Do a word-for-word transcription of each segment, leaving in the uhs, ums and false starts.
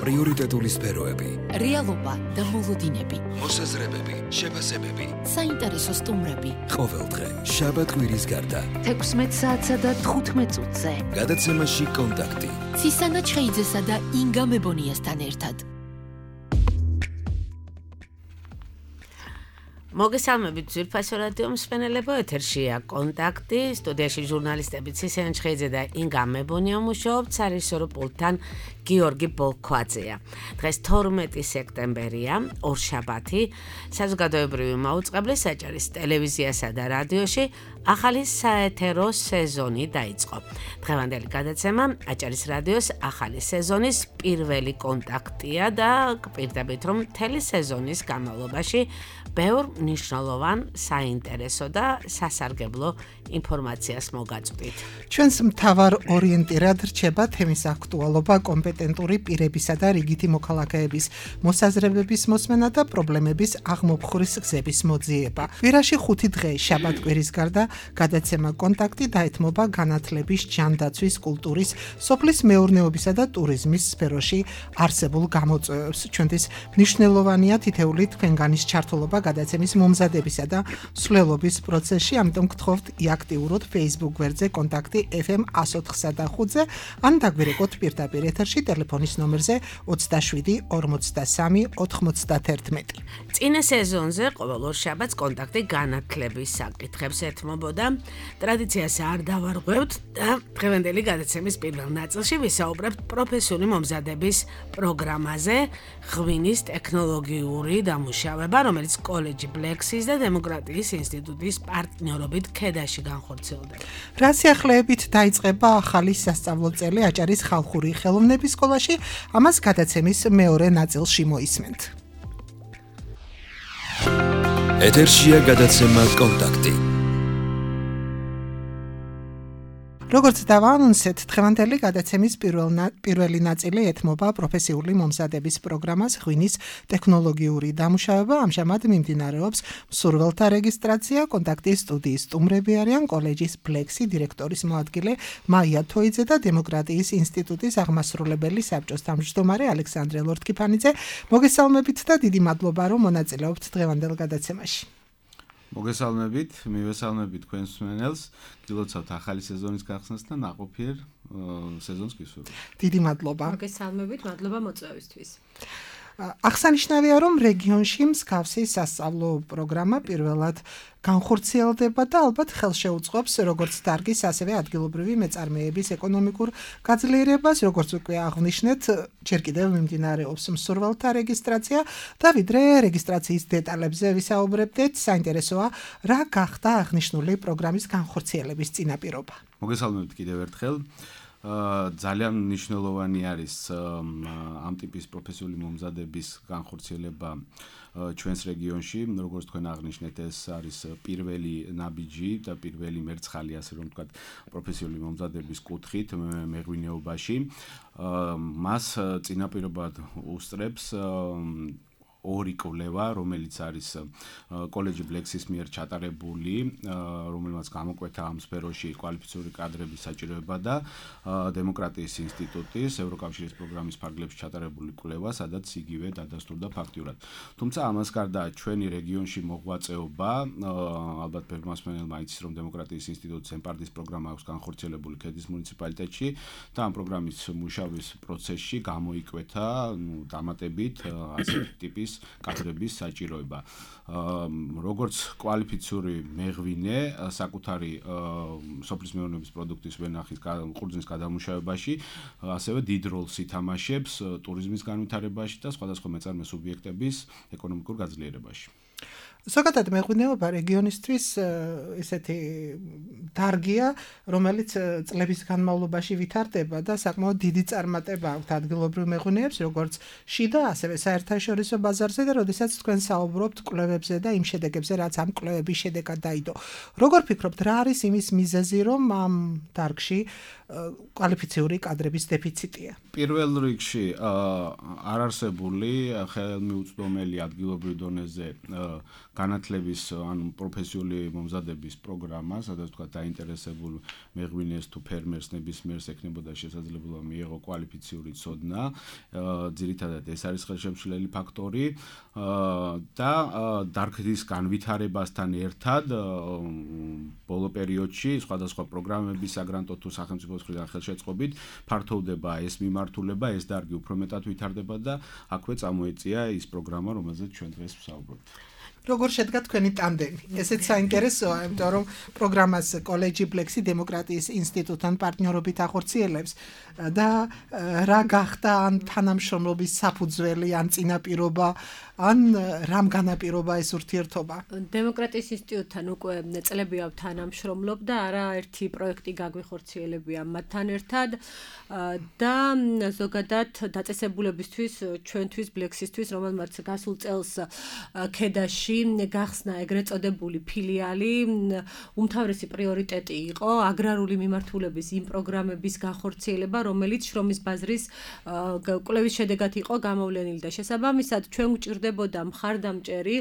პრიორიტეტული სფეროები, რეალობა და მოლოდინები, მოსაზრებები, შეფასებები, საინტერესო სტუმრები. ყოველდღე შაბათ-კვირის გარდა თექვსმეტ საათსა და თხუთმეტ წუთზე გადაცემაში კონტაქტი ცისანა ჩხეიძესა და ინგა მებონიასთან ერთად. მოგესალმებით ძვირფასო რადიო მსმენელებო, ეთერშია კონტაქტი, სტუდიაში ჟურნალისტები ცისანა ჩხეიძე და ინგა მებონია მუშაობთ, სარისორო პულტთან გიორგი ბოლქვაძეა. დღეს თორმეტი სექტემბერია, ორშაბათი, საზოგადოებრივი მაუწყებლე საჭარის ტელევიზიასა და რადიოში ახალი საეთერო სეზონი დაიწყო. დღევანდელი გადაცემა აჭარის რადიოს ახალი სეზონის პირველი კონტაქტია და გპირდებით, რომ მთელი სეზონის განმავლობაში ბევრ მნიშვნელოვან, საინტერესო და სასარგებლო ინფორმაციას მოგაწვდით. ჩვენს მთავარ ორიენტირად რჩება თემის აქტუალობა, კომპეტენტური პირებისა და რიგითი მოქალაქეების მოსაზრებების მოსმენა და პრობლემების აღმოფხვრის გზების მოძიება. კვირაში ხუთი დღე შაბათ-კვირის გარდა გადაცემა კონტაქტი დაეთმობა განათლების, ჯანდაცვის, კულტურის, სოფლის მეურნეობისა და ტურიზმის სფეროში არსებულ გამოწვევებს. ჩვენთვის მნიშვნელოვანია თითეული თქვენგანის ჩართულობა გადაცემის მომზადებისა და მსვლელობის პროცესში, ამიტომ გთხოვთ აქტიუროთ Facebook გვერდზე კონტაქტი ეფ ემ εκατო ოთხსა და ხუთზე ან დაგვირეკოთ პირდაპირ ეთერში ტელეფონის ნომერზე ოცდაშვიდი ორმოცდასამი ოთხმოცდაათერთმეტი. წინა სეზონზე ყოველ ორ შაბათს კონტაქტი განათლების საკითხებს ეთმობოდა. ტრადიციას არ დავარღვევთ და დღევანდელი გადაცემის პირველ ნაწილში ვისაუბრებთ პროფესიული მომზადების პროგრამაზე, ღვინის ტექნოლოგიური დამუშავება, რომელიც კოლეჯი ბლექსის და დემოკრატიის ინსტიტუტის პარტნიორობით ქედაში განხორციელდება. რა სიახლეებით დაიწყება ახალი სასწავლო წელი აჭარის ხალხური ხელოვნების სკოლაში, ამას გადაცემის მეორე ნაწილში მოისმენთ. ეთერშია გადაცემა კონტაქტი. როგორც დავაანონსეთ, დღევანდელი გადაცემის პირველი ნაწილი ეთმობა პროფესიული მომზადების პროგრამას ღვინის ტექნოლოგიური დამუშავება. ამჟამად მიმდინარეობს მსურველთა რეგისტრაცია. კონტაქტის სტუდიის სტუმრები არიან კოლეჯის ბლექსი დირექტორის მოადგილე მაია თოიძე და დემოკრატიის ინსტიტუტის აღმასრულებელი საბჭოს თავმჯდომარე ალექსანდრე ლორთქიფანიძე. მოგესალმებით და დიდი მადლობა, რომ მონაწილეობთ დღევანდელ გადაცემაში. მოგესალმებით, მივესალმებით თქვენს მსმენელს, გილოცავთ ახალი სეზონის გახსნას და ნაყოფიერ სეზონს გისურვებთ. დიდი მადლობა. მოგესალმებით, მადლობა მოწვევისთვის. აღსანიშნავია, რომ რეგიონში მსგავსი სასწავლო პროგრამა პირველად განხორციელდება და ალბათ ხელშეუწყობს როგორც დარგის, ასევე ადგილობრივი მეწარმეების ეკონომიკურ გაძლიერებას, როგორც უკვე აღვნიშნეთ, ჯერ კიდევ მიმდინარეობს მსურველთა რეგისტრაცია და ვიდრე რეგისტრაციის დეტალებზე ვისაუბრებდეთ, საინტერესოა, რა გახდა აღნიშნული პროგრამის განხორციელების წინაპირობა. მოგესალმებით კიდევ ერთხელ. ძალიან მნიშვნელოვანი არის ამ ტიპის პროფესიული მომზადების განხორციელება ჩვენს რეგიონში, როგორც თქვენ აღნიშნეთ, ეს არის პირველი ნაბიჯი და პირველი მერცხალი, ასე რომ ვთქვათ, პროფესიული მომზადების კუთხით მეღვინეობაში. მას წინაპირობად უსწრებს ორი კვლევა, რომელიც არის კოლეჯი ბლექსის მიერ ჩატარებული, რომელმაც გამოკვეთა ამ სფეროში კვალიფიციური კადრების საჭიროება და დემოკრატიის ინსტიტუტის ევროკავშირის პროგრამის ფარგლებში ჩატარებული კვლევა, სადაც იგივე დადასტურდა ფაქტიურად. თუმცა ამას გარდა ჩვენი რეგიონში მოღვაწეობა, ალბათ ბევრმა მსმენელმა იცის, რომ დემოკრატიის ინსტიტუტის ემპარდის პროგრამა აქვს განხორციელებული ქედის მუნიციპალიტეტში და ამ პროგრამის მუშაობის პროცესში გამოიკვეთა დამატებით ასეთი ტიპის კადრების საჭიროება. როგორც კვალიფიციური მეღვინე, საკუთარი სოფლის მეურნეობის პროდუქტის ვენახის ყურძნის გადამუშავებაში, ასევე დიდ როლს ითამაშებს ტურიზმის განვითარებაში და სხვადასხვა მეწარმე სუბიექტების ეკონომიკურ გაძლიერებაში. ზოგადად მეღვინეობა რეგიონისთვის ესეთი დარგია, რომელიც წლების განმავლობაში ვითარდება და საკმაოდ დიდი წარმატება აქვს ადგილობრივ მეღვინეებს, როგორც შიდა, ასევე საერთაშორისო ბაზარზე და როდესაც თქვენ საუბრობთ კვლევებზე და იმ შედეგებზე, რაც ამ კვლევების შედეგად დაიდო. როგორ ფიქრობთ, რა არის იმის მიზეზი, რომ ამ დარგში კვალიფიციური კადრების დეფიციტია? პირველ რიგში არ არსებული ხელმიუწვდომელი ადგილობრივ დონეზე განათლების ანუ პროფესიული მომზადების პროგრამა, სადაც თქვა დაინტერესებულ მეღვინეს თუ ფერმერს ნებისმიერს ექნებოდა შესაძლებლობა მიეღო კვალიფიციური ცოდნა. ძირითადად ეს არის ხელშემშლელი ფაქტორი და დარგის განვითარებასთან ერთად ბოლო პერიოდში სხვადასხვა პროგრამების საგრანტო თუ სახელმწიფოს მხრიდან ხელშეწყობით ფართოვდება ეს მიმართულება, ეს დარგი უფრო მეტად ვითარდება და აქვე წამოეწია ის პროგრამა, რომელზეც ჩვენ დღეს ვსაუბრობთ. როგორ შედგა თქვენი ტანდემი? ესეც საინტერესოა, იმიტომ რომ პროგრამას კოლეჯი ბლექსი დემოკრატიის ინსტიტუტთან პარტნიორობით ახორციელებს და რა გახდა ან თანამშრომლობის საფუძველი, ან წინაპირობა, ან რამ განაპირობა ეს ურთიერთობა? დემოკრატიის ინსტიტუტთან უკვე წლებია თანამშრომლობ და არაერთი პროექტი გაგვიხორციელებია მათთან ერთად და ზოგადად დაწესებულებისთვის ჩვენთვის ბლექსისთვის, რომელმაც გასულ წელს ქედაში გახსნა ეგრეთ წოდებული ფილიალი, უმთავრესი პრიორიტეტი იყო აგრარული მიმართულების იმ პროგრამების განხორციელება, რომელიც შრომის ბაზრის კვლევის შედეგად იყო გამოვლენილი და შესაბამისად ჩვენ გვჭირდებოდა მხარდამჭერი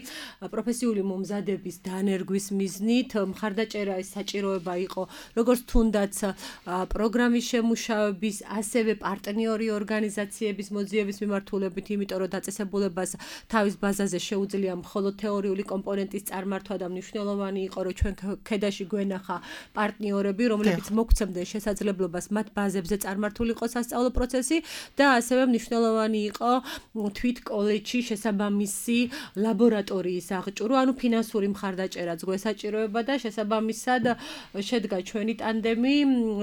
პროფესიული მომზადების დანერგვის მიზნით. მხარდაჭერა ეს საჭიროება იყო როგორც თუნდაც პროგრამის შემუშავების, ასევე პარტნიორი ორგანიზაციების მოძიების მიმართულებით, იმიტომ რომ დაწესებულებას თავის ბაზაზე შეუძლია მხოლოდ თეორიული კომპონენტის წარმართვა და მნიშვნელოვანი იყო, რომ ჩვენ ქედაში გვენახა პარტნიორები, რომლებიც მოგცემდნენ შესაძლებლობას მათ ბაზებზე წარმართულიყო სასწავლო პროცესი და ასევე მნიშვნელოვანი იყო თვით კოლეჯში შესაბამისი ლაბორატორიის აღჭურვა, ანუ ფინანსური მხარდაჭერაც გვესაჭიროება და შესაბამისად შედგა ჩვენი ტანდემი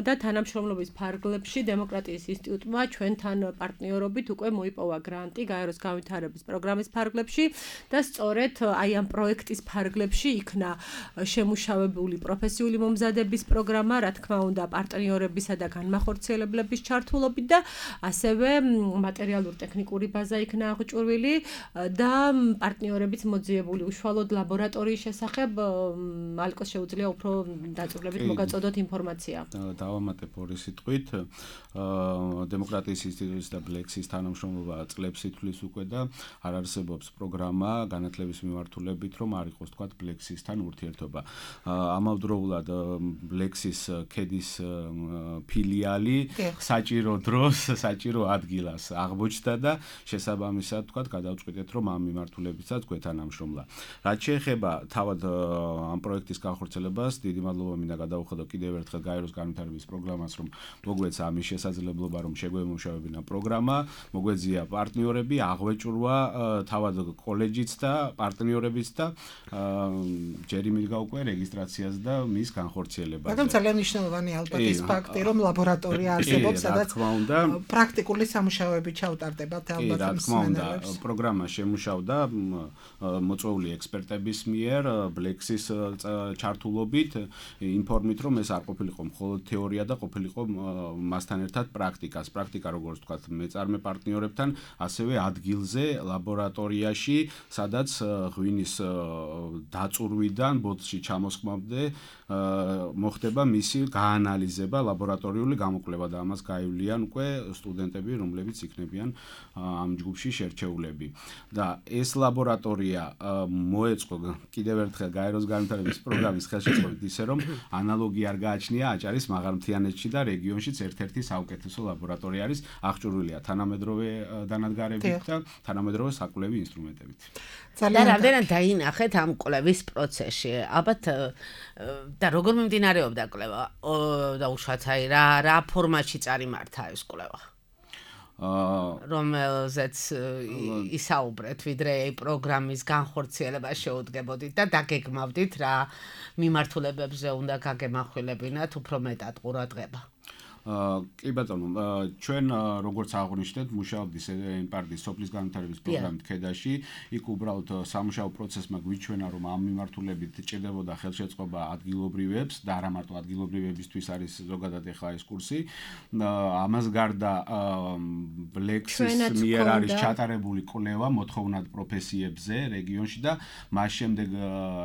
და თანამშრომლობის ფარგლებში დემოკრატიის ინსტიტუტმა ჩვენთან პარტნიორობით უკვე მოიპოვა გრანტი გაეროს განვითარების პროგრამის ფარგლებში და სწორედ აი ამ პროექტის ფარგლებში იქნა შემუშავებული პროფესიული მომზადების პროგრამა, რა თქმა უნდა, პარტნიორებისა და განმახორციელებლების ჩართულობით და ასევე მატერიალურ-ტექნიკური ბაზა იქნა აღჭურვილი და პარტნიორებიც მოძიებული უშუალოდ ლაბორატორიის შესახებ ალკოს შეუძლია უფრო დაწვრილებით მოგაწოდოთ ინფორმაცია. დავამატებ ორი სიტყვით. დემოკრატიის ინსტიტუტის და ბლექსის თანამშრომლობა წლებს ითვლის უკვე და არ არსებობს პროგრამა განათლების მიმართულებით, რომ არ იყოს თქვა ბლექსისთან ურთიერთობა. ამავდროულად ბლექსის ქედის ფილიალი საჭირო დროს, საჭირო ადგილას აღმოჩნდა და შესაბამისად თქვა გადავწყვიტეთ, რომ ამ მიმართულებითაც გვეთანამშრომლა. რაც შეეხება თავად ამ პროექტის განხორციელებას, დიდი მადლობა მინდა გადავუხადო კიდევ ერთხელ გაეროს განვითარების პროგრამას, რომ მოგვეცა ამის შესაძლებლობა, რომ შეგვემუშავებინა პროგრამა, მოგვეძია პარტნიორები, აღვეჭურვა თავად კოლეჯიც და პარტნიორებიც და ჯერ იმიდგა უკვე რეგისტრაციას და მის განხორციელებას. მაგრამ ძალიან მნიშვნელოვანი ალბათ ის ფაქტი, რომ ლაბორატორია არსებობს, სადაც პრაქტიკული სამუშაოები ჩაუტარდებათ ალბათ რა თქმა უნდა, პროგრამა შემუშავდა მოწვეული ექსპერტების მიერ, ბლექსის ჩართულობით, ინფორმით, რომ ეს არ ყოფილიყო მხოლოდ თეორია და ყოფილიყო მასთან ერთად პრაქტიკას. პრაქტიკა როგორც ვთქვათ, მეწარმე პარტნიორებთან, ასევე ადგილზე, ლაბორატორიაში, სადაც ღვინის დაწურვიდან ბოთლში ჩამოსხმამდე მოხდება მისი გაანალიზება, ლაბორატორიული გამოკვლევა და ამას გაივლიან უკვე სტუდენტები, რომლებიც იქნებიან ამ ჯგუფში შერჩეულები. და ეს ლაბორატორია მოეწყო კიდევ ერთხელ გაეროს განვითარების პროგრამის ხელშეწყობით ისე, რომ ანალოგი არ გააჩნია აჭარის მაღალმთიანეთში და რეგიონშიც ერთ-ერთი საუკეთესო ლაბორატორია არის, აღჭურვილია თანამედროვე დანადგარებით და თანამედროვე საკვლევი ინსტრუმენტებით. და რამდენად დაინახეთ ამ კვლევის პროცესში? ალბათ და როგორ მიმდინარეობდა კვლევა? და უშუალოდ აი რა რა ფორმატში წარიმართა ეს კვლევა? რომელზეც ისაუბრეთ, ვიდრე პროგრამის განხორციელება შეუდგებოდით და დაგეგმავდით რა მიმართულებებზე უნდა გაგემახვილებინათ უფრო მეტად ყურადღება. კი ბატონო, ჩვენ როგორც აღვნიშნეთ, მუშაობდით პარტიის სოფლის განვითარების პროგრამით ქედაში, იქ უბრალოდ სამუშაო პროცესმა გვიჩვენა, რომ ამ მიმართულებით ჭირდებოდა ხელშეწყობა ადგილობრივებს და არა მარტო ადგილობრივებისთვის არის ზოგადად ახლა ეს კურსი. ამას გარდა ბლექსის მიერ არის ჩატარებული კვლევა მოთხოვნად პროფესიებზე რეგიონში და მას შემდეგ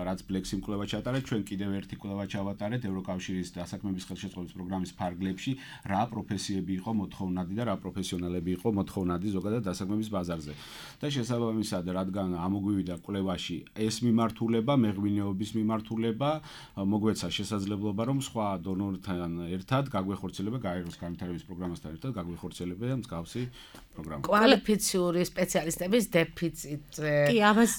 რაც ბლექსი კვლევა ჩატარეთ, ჩვენ კიდევ ერთი კვლევა ჩავატარეთ ევროკავშირის დასაქმების ხელშეწყობის პროგრამის ფარგლებში რა პროფესიები იყო მოთხოვნადი და რა პროფესიონალები იყო მოთხოვნადი ზოგადად დასაქმების ბაზარზე. და შესაბამისად, რადგან ამოგვივიდა კვლევაში ეს მიმართულება, მეღვინეობის მიმართულება, მოგვეცა შესაძლებლობა, რომ სხვა დონორთან ერთად გაგვეხორციელება გაეროს განვითარების პროგრამასთან ერთად გაგვეხორციელება მსგავსი პროგრამა. კვალიფიციური სპეციალისტების დეფიციტი კი, ამას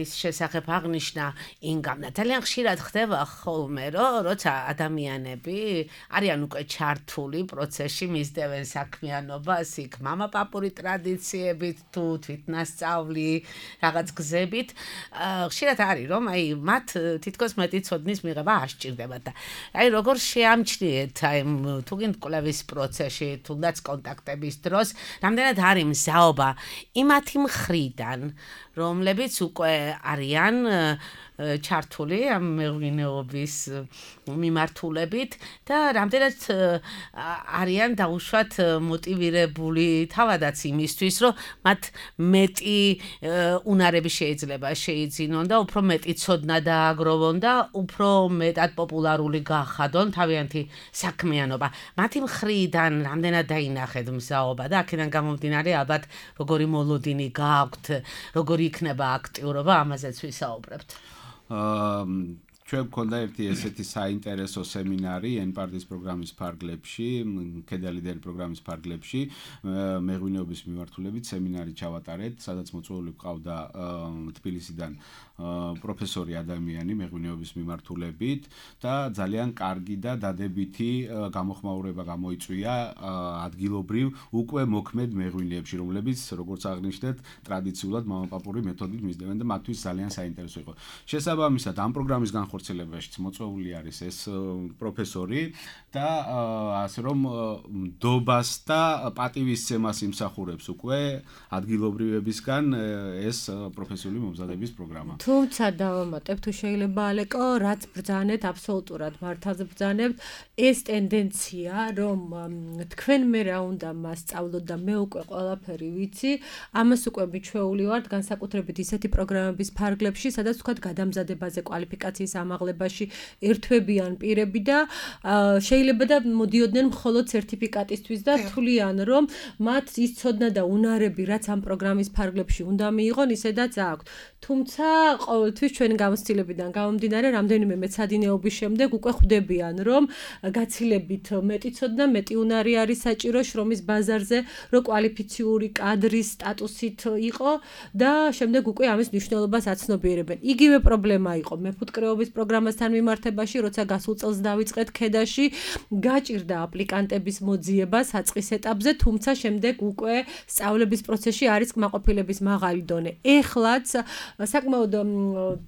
ის შესახებ აღნიშნა ინგამ. ძალიან ხშირად ხდება ხოლმე, რომ როცა ადამიანები არიან უკვე ჩართული პროცესში, მისდევენ საქმიანობას, იქ მამაპაპური ტრადიციებით თუ თვითნასწავლი რაღაც გზებით, ხშირად არის რომ აი მათ თითქოს მეტი ცოდნის მიღება არ სჭირდებათ და აი როგორ შეამჩნიეთ აი თუ გინდ კვლევის პროცესში, თუნდაც კონტაქტების დროს, რამდენად არის მზაობა იმათი მხრიდან, რომლებიც უკვე არიან ჩართული ამ მეღვინეობის მიმართულებით და რამდენად არიან დაუშვათ მოტივირებული თავადაც იმისთვის, რომ მათ მეტი უნარები შეიძლება შეიძინონ და უფრო მეტი ცოდნა დააგროვონ და უფრო მეტად პოპულარული გახადონ თავიანთი საქმიანობა. მათი მხრიდან რამდენად დაინახეთ მზაობა და აქედან გამომდინარე ალბათ როგორი მოლოდინი გააქვთ, როგორი იქნება აქტიურობა, ამაზეც ვისაუბრებთ. ჩვენ გვქონდა ერთი ესეთი საინტერესო სემინარი ენპარტის პროგრამის ფარგლებში, ქედალიდერი პროგრამის ფარგლებში, მეღვინეობის მიმართულებით სემინარი ჩავატარეთ, სადაც მოწვეული გვყავდა თბილისიდან პროფესორი ადამიანი მეღვინეობის მიმართულებით და ძალიან კარგი და დადებითი გამოხმაურება გამოიწვია ადგილობრივ უკვე მოქმედ მეღვინეებში, რომლებიც როგორც აღნიშნეთ, ტრადიციულად მამაპაპური მეთოდით მისდევენ და მათთვის ძალიან საინტერესო იყო. შესაბამისად, ამ პროგრამის განხორციელებაშიც მოწვეული არის ეს პროფესორი და ასე რომ დობას და პატივისცემას იმსახურებს უკვე ადგილობრივებისგან ეს პროფესიული მომზადების პროგრამა. თუმცა დავამატებ, თუ შეიძლება ალეკო, რაც ბრძანეთ, აბსოლუტურად მართალს ბრძანებთ, ეს ტენდენცია, რომ თქვენ მე რა უნდა მასწავლოთ და მე უკვე ყველაფერი ვიცი, ამას უკვე მიჩვეული ვართ განსაკუთრებით ისეთი პროგრამების ფარგლებში, სადაც თქვათ გადამზადებაზე, კვალიფიკაციის ამაღლებაში ერთვებიან პირები და შეიძლება და მოდიოდნენ მხოლოდ სერტიფიკატისთვის და თვლიან, რომ მათ ის ცოდნა და უნარები, რაც ამ პროგრამის ფარგლებში უნდა მიიღონ, ისედაც აქვთ. თუმცა ყოველთვის ჩვენი გამოცდილებიდან გამომდინარე, რამდენიმე მეცადინეობის შემდეგ უკვე ხვდებიან, რომ გაცილებით მეტი ცოდნა, მეტი უნარი არის საჭირო შრომის ბაზარზე, რომ კვალიფიციური კადრის სტატუსით იყო და შემდეგ უკვე ამის მნიშვნელობას აცნობიერებენ. იგივე პრობლემა იყო მეფუტკრეობის პროგრამასთან მიმართებაში, როცა გასულ წელს დავიწყეთ ქედაში, გაჭირდა აპლიკანტების მოძიება საწყის ეტაპზე, თუმცა შემდეგ უკვე სწავლების პროცესში არის კმაყოფილების მაღალი დონე. ეხლაც საკმაოდ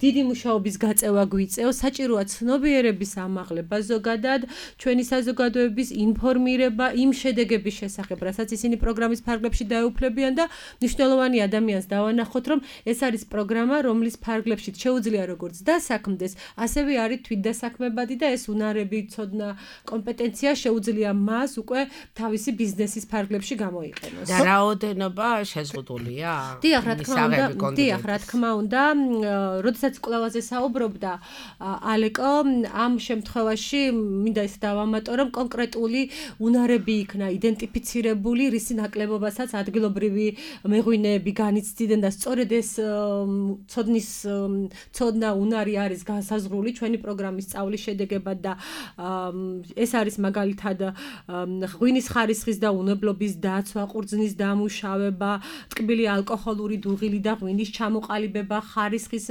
დიდი მუშაობის გაწევა გვიწევს, საჭიროა ცნობიერების ამაღლება ზოგადად, ჩვენი საზოგადოების ინფორმირება იმ შედეგების შესახებ, რასაც ისინი პროგრამის ფარგლებში დაეუფლებიან და მნიშვნელოვანი ადამიანს დავანახოთ, რომ ეს არის პროგრამა, რომლის ფარგლებში შეუძლია როგორც დასაქმდეს, ასევე არის თვითდასაქმებადი და ეს უნარები, ცოდნა, კომპეტენცია შეუძლია მას უკვე თავისი ბიზნესის ფარგლებში გამოიყენოს. და რაოდენობა შეზღუდულია? დიახ, რა თქმა უნდა, დიახ, რა თქმა უნდა, როდესაც კვლევაზე საუბრობდა ალეკო, ამ შემთხვევაში მინდა ის დავამატო, რომ კონკრეტული უნარები იქნა იდენტიფიცირებული, რისი ნაკლებობასაც ადგილობრივი მეღვინეები განიცდიდნენ და სწორედ ეს ცოდნის ცოდნა უნარი არის განსაზღვრული ჩვენი პროგრამის სწავლის შედეგებად და ეს არის მაგალითად ღვინის ხარისხის და უნებლობის დაცვა, ყურძნის დამუშავება, ტკბილი ალკოჰოლური დუღილი და ღვინის ჩამოყალიბება, ხარისხის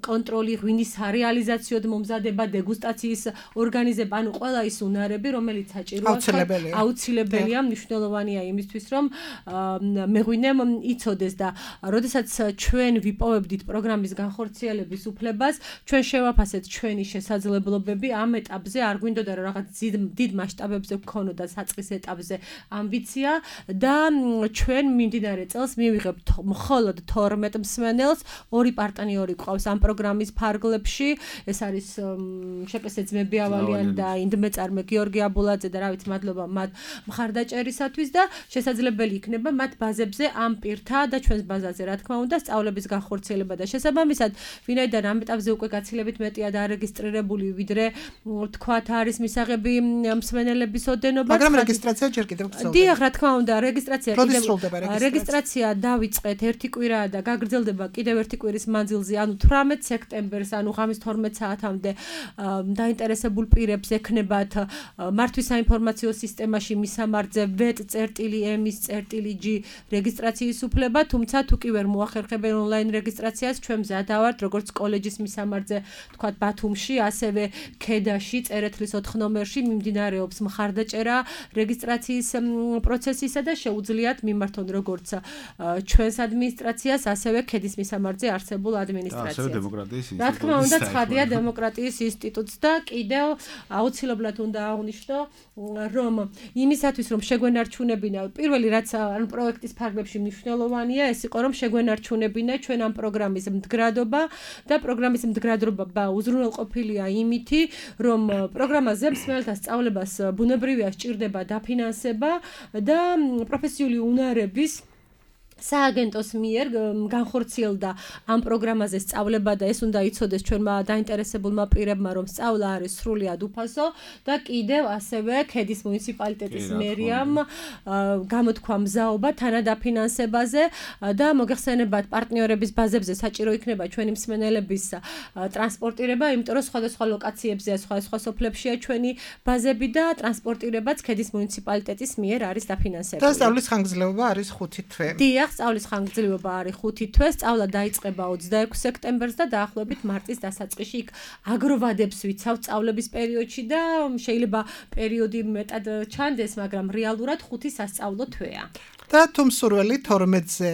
კონტროლი, ღვინის სარეალიზაციო მომზადება, დეგუსტაციის ორგანიზება, ანუ ყველა ის უნარები, რომელიც საჭიროა, აუცილებელია, მნიშვნელოვანია იმისთვის, რომ მეღვინემ იცოდეს და როდესაც ჩვენ ვიპოვებდით პროგრამის განხორციელების უფლებას, ჩვენ შევაფასეთ ჩვენი შესაძლებლობები ამ ეტაპზე, არ გვინდოდა რომ რაღაც დიდ მასშტაბებზე გქონოდა საწყის ეტაპზე ამბიცია და ჩვენ მიმდინარე წელს მივიღებთ მხოლოდ თორმეტ მსმენელს, ორი პარტნიორი გვყავს ამ პროგრამის ფარგლებში, ეს არის შეკესე ძმები ავალიანი და ინდმეწარმე გიორგი აბულაძე და რა ვიცი, მადლობა მათ მხარდაჭერისათვის და შესაძლებელი იქნება მათ ბაზებზე ამ პირთა და ჩვენს ბაზაზე რა თქმა უნდა სწავლების განხორციელება და შესაბამისად, ვინაიდან ამ ეტაპზე უკვე გაცილებით მეტ მეტია დარეგისტრირებული, ვიდრე თქვათ არის მისაღები მსმენელების ოდენობა. მაგრამ რეგისტრაცია ჯერ კიდევ გრძელდება. დიახ, რა თქმა უნდა, რეგისტრაცია როდის სრულდება რეგისტრაცია? რეგისტრაცია დავიწყეთ ერთი კვირაა და გაგრძელდება კიდევ ერთი კვირის მანძილზე, ანუ თვრამეტ სექტემბერს, ანუ ღამის თორმეტ საათამდე დაინტერესებულ პირებს ექნებათ მართვის საინფორმაციო სისტემაში მისამართზე ვეტ.ემის.g რეგისტრაციის უფლება, თუმცა თუ კი ვერ მოახერხებენ ონლაინ რეგისტრაციას, ჩვენ მზადა ვართ, როგორც კოლეჯის მისამართზე, თქვათ ბათუმში, ასევე ქედაში, წერეთლის ოთხ ნომერში მიმდინარეობს მხარდაჭერა რეგისტრაციის პროცესისა და შეუძლიათ მიმართონ როგორც ჩვენს ადმინისტრაციას, ასევე ქედის მისამართზე არსებულ ადმინისტრაციას. ასევე დემოკრატიის ინსტიტუტს. რა თქმა უნდა, ცხადია დემოკრატიის ინსტიტუტს და კიდევ აუცილებლად უნდა აღვნიშნო, რომ იმისათვის რომ შეგვენარჩუნებინა, პირველი რაც ანუ პროექტის ფარგლებში მნიშვნელოვანია, ეს იყო რომ შეგვენარჩუნებინა ჩვენ ამ პროგრამის მდგრადობა და პროგრამის მდგრადობა უზრუნველყოფილია იმითი, რომ პროგრამაზე მსმენელთა სწავლებას ბუნებრივია სჭირდება დაფინანსება და პროფესიული უნარების სააგენტოს მიერ განხორციელდა ამ პროგრამაზე სწავლება და ეს უნდა იცოდეს ჩვენმა დაინტერესებულმა პირებმა, რომ სწავლა არის სრულიად უფასო და კიდევ ასევე ქედის მუნიციპალიტეტის მერიამ გამოთქვა მზაობა თანადაფინანსებაზე და მოგეხსენებათ პარტნიორების ბაზებზე საჭირო იქნება ჩვენი მსმენელების ტრანსპორტირება, იმიტომ რომ სხვადასხვა ლოკაციებზეა, სხვადასხვა სოფლებშია ჩვენი ბაზები და ტრანსპორტირებაც ქედის მუნიციპალიტეტის მიერ არის დაფინანსებული. და სწავლის ხანგრძლივობა არის ხუთი თვე. დიახ, სწავლის ხანგრძლივობა არის ხუთი თვე, სწავლა დაიწყება ოცდაექვსი სექტემბერს და დაახლოებით მარტის დასაწყისში იქ აგროვადებს ვიცავ სწავლების პერიოდში და შეიძლება პერიოდი მეტად ჩანდეს, მაგრამ რეალურად ხუთი სასწავლო თვეა. და თუ მსურველი თორმეტზე